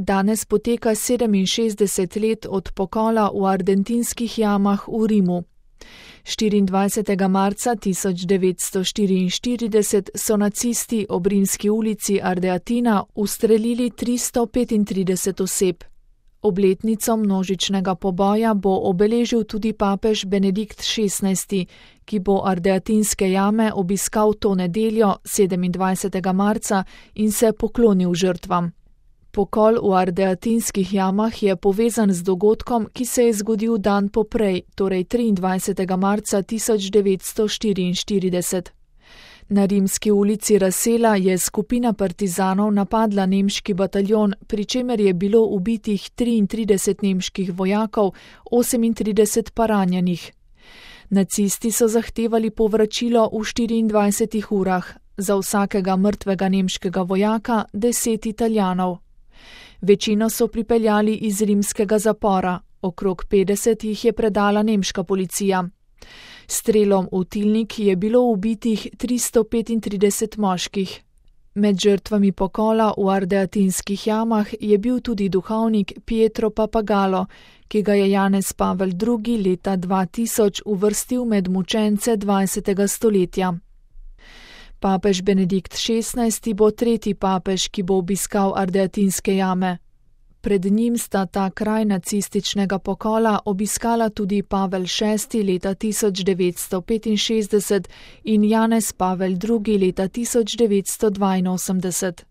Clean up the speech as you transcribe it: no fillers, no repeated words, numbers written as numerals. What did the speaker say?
Danes poteka 67 let od pokola v ardentinskih jamah v Rimu. 24. marca 1944 so nacisti ob Rimski ulici Ardeatina ustrelili 335 oseb. Obletnico množičnega poboja bo obeležil tudi papež Benedikt XVI, ki bo Ardeatinske jame obiskal to nedeljo 27. marca in se poklonil žrtvam. Pokol v Ardeatinskih jamah je povezan z dogodkom, ki se je zgodil dan poprej, torej 23. marca 1944. Na Rimski ulici Rasela je skupina partizanov napadla nemški bataljon, pri čemer je bilo ubitih 33 nemških vojakov, 38 pa ranjenih. Nacisti so zahtevali povračilo v 24 urah, za vsakega mrtvega nemškega vojaka 10 Italijanov. Večino so pripeljali iz rimskega zapora, okrog 50 jih je predala nemška policija. Strelom v tilnik je bilo ubitih 335 moških. Med žrtvami pokola v Ardeatinskih jamah je bil tudi duhovnik Pietro Pappagallo, ki ga je Janez Pavel II. Leta 2000 uvrstil med mučence 20. stoletja. Papež Benedikt XVI. Bo tretji papež, ki bo obiskal Ardeatinske jame. Pred njim sta ta kraj nacističnega pokola obiskala tudi Pavel VI. Leta 1965 in Janez Pavel II. Leta 1982.